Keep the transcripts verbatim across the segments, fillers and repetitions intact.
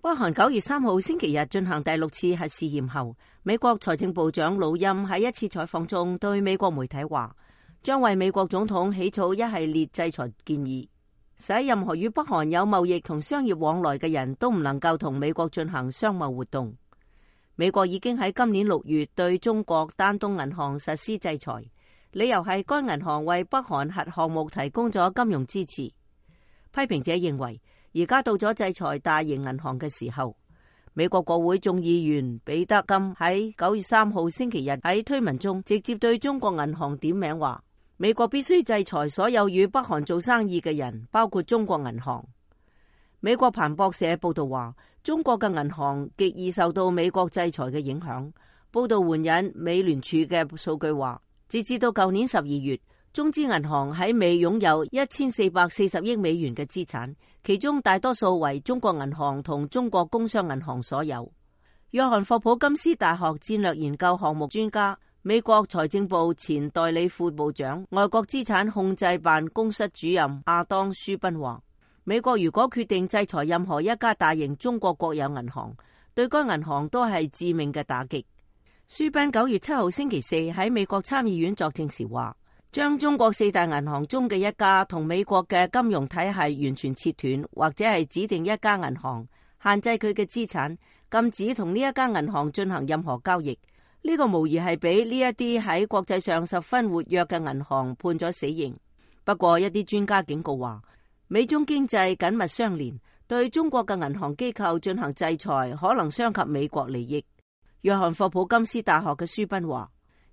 北韓九月三號星期日進行第六次核試驗後，美國財政部長魯欽喺一次採訪中對美國媒體話，將為美國總統起草一系列制裁建議，使任何與北韓有貿易同商業往來嘅人都唔能夠同美國進行商貿活動。美國已經喺今年六月對中國丹東銀行實施制裁，理由係該銀行為北韓核項目提供咗金融支持。批評者認為，而家到咗制裁大型銀行嘅時候。美國國會眾議員彼得金喺九月三號星期日喺推文中直接對中國銀行點名話，美國必須制裁所有與北韓做生意嘅人，包括中國銀行。美國彭博社報道話，中國嘅銀行極易受到美國制裁嘅影響。報道援引美聯儲嘅數據話，截至到舊年十二月，中資銀行喺美擁有一千四百四十億美元嘅資產，其中大多數為中國銀行同中國工商銀行所有。約翰霍普金斯大學戰略研究項目專家、美國財政部前代理副部長、外國資產控制辦公室主任亞當舒賓話，美國如果決定制裁任何一家大型中國國有銀行，對該銀行都係致命嘅打擊。舒賓九月七號星期四喺美國參議院作證時話，將中國四大銀行中嘅一家同美國嘅金融體系完全切斷，或者係指定一家銀行，限制佢嘅資產，禁止同呢一家銀行進行任何交易。呢、這個無疑係俾呢一啲喺國際上十分活躍嘅銀行判咗死刑。不過一啲專家警告話，美中經濟緊密相連，對中國嘅銀行機構進行制裁可能傷及美國利益。約翰霍普金斯大學嘅舒賓話，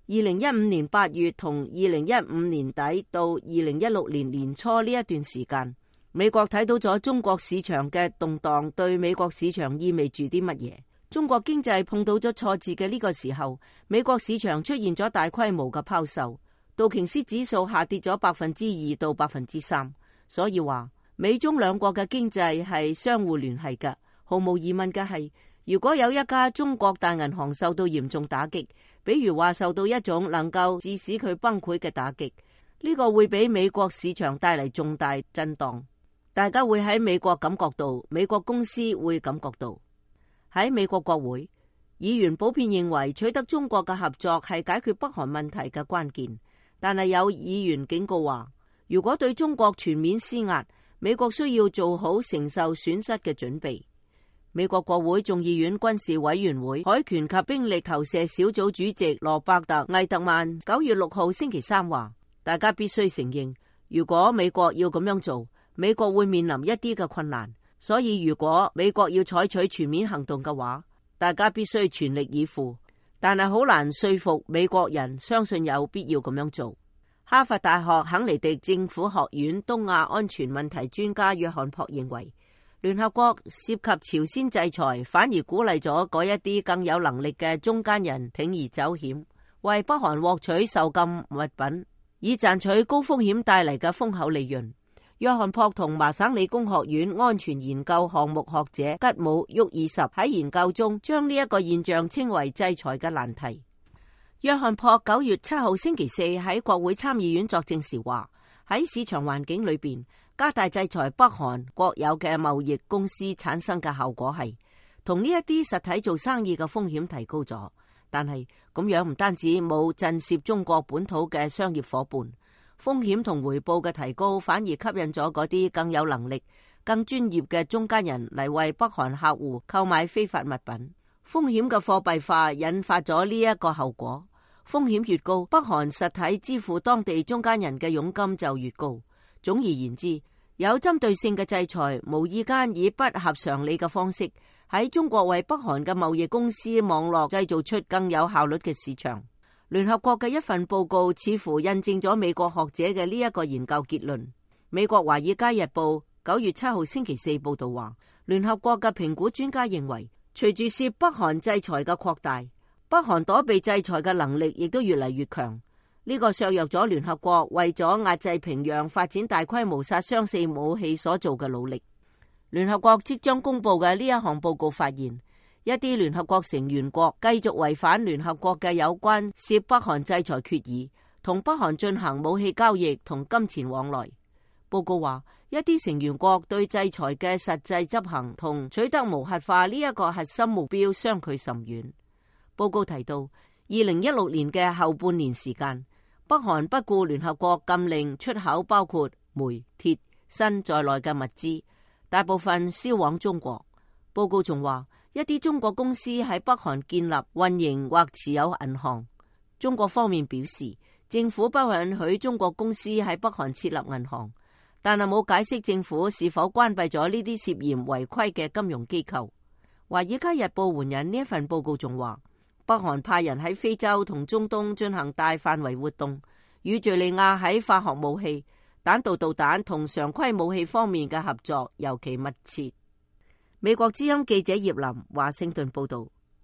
二零一五年八月同二零一五年底到二零一六年年初呢一段時間，美國睇到咗中國市場嘅動盪對美國市場意味住啲乜嘢。中國經濟碰到咗挫折嘅呢個時候，美國市場出現咗大規模嘅拋售，道瓊斯指數下跌咗百分之二到百分之三。所以話美中兩國嘅經濟係相互聯繫嘅。毫無疑問嘅係，如果有一家中國大銀行受到嚴重打擊，比如話受到一種能夠致使佢崩潰嘅打擊，呢個會俾美國市場帶嚟重大震盪。大家會喺美國感覺到，美國公司會感覺到。喺美國國會，議員普遍認為取得中國嘅合作係解決北韓問題嘅關鍵，但係有議員警告話，如果對中國全面施壓，美國需要做好承受損失嘅準備。美國國會眾議院軍事委員會海權及兵力投射小組主席羅伯特·魏特曼九月六號星期三話，大家必須承認，如果美國要咁樣做，美國會面臨一啲嘅困難。所以如果美國要採取全面行動嘅話，大家必須全力以赴。但係好難說服美國人相信有必要咁樣做。哈佛大學肯尼迪政府學院東亞安全問題專家約翰珀認為，聯合國涉及朝鮮制裁，反而鼓勵咗嗰一啲更有能力嘅中間人鋌而走險，為北韓獲取受禁物品，以賺取高風險帶嚟嘅豐厚利潤。約翰珀同麻省理工學院安全研究項目學者吉姆沃爾什喺研究中將呢一個現象稱為制裁嘅難題。約翰珀九月七號星期四喺國會參議院作證時話，喺市場環境裏邊，加大制裁北韓國有嘅貿易公司產生嘅效果係同呢一啲實體做生意嘅風險提高咗，但係咁樣唔單止冇震懾中國本土嘅商業夥伴，風險同回報嘅提高反而吸引咗嗰啲更有能力、更專業嘅中間人嚟為北韓客戶購買非法物品。風險嘅貨幣化引發咗呢一個後果，風險越高，北韓實體支付當地中間人嘅佣金就越高。總而言之，有針對性嘅制裁無意間以不合常理嘅方式喺中國為北韓嘅貿易公司網絡製造出更有效率嘅市場。聯合國嘅一份報告似乎印證咗美國學者嘅呢一個研究結論。美國華爾街日報九月七號星期四報道話，聯合國嘅評估專家認為，隨住涉北韓制裁嘅擴大，北韓躲避制裁嘅能力亦都越嚟越強。呢、這個削弱咗聯合國為咗壓制平壤發展大規模殺傷性武器所做嘅努力。聯合國即將公布嘅呢一項報告發現，一啲聯合國成員國繼續違反聯合國嘅有關涉北韓制裁決議，同北韓進行武器交易同金錢往來。報告話，一啲成員國對制裁嘅實際執行同取得無核化呢一個核心目標相距甚遠。報告提到，二零一六年嘅後半年時間，北韓不顧聯合國禁令出口包括煤、鐵、鋅在內嘅物資，大部分銷往中國。報告仲話，一啲中國公司喺北韓建立、運營或持有銀行。中國方面表示，政府不允許中國公司喺北韓設立銀行，但係冇解釋政府是否關閉咗呢啲涉嫌違規嘅金融機構。華爾街日報援引呢一份報告仲話，北韓派人喺非洲同中東進行大範圍活動，與敘利亞喺化學武器、彈道導彈同常規武器方面嘅合作尤其密切。美國之音記者葉林華盛頓報道。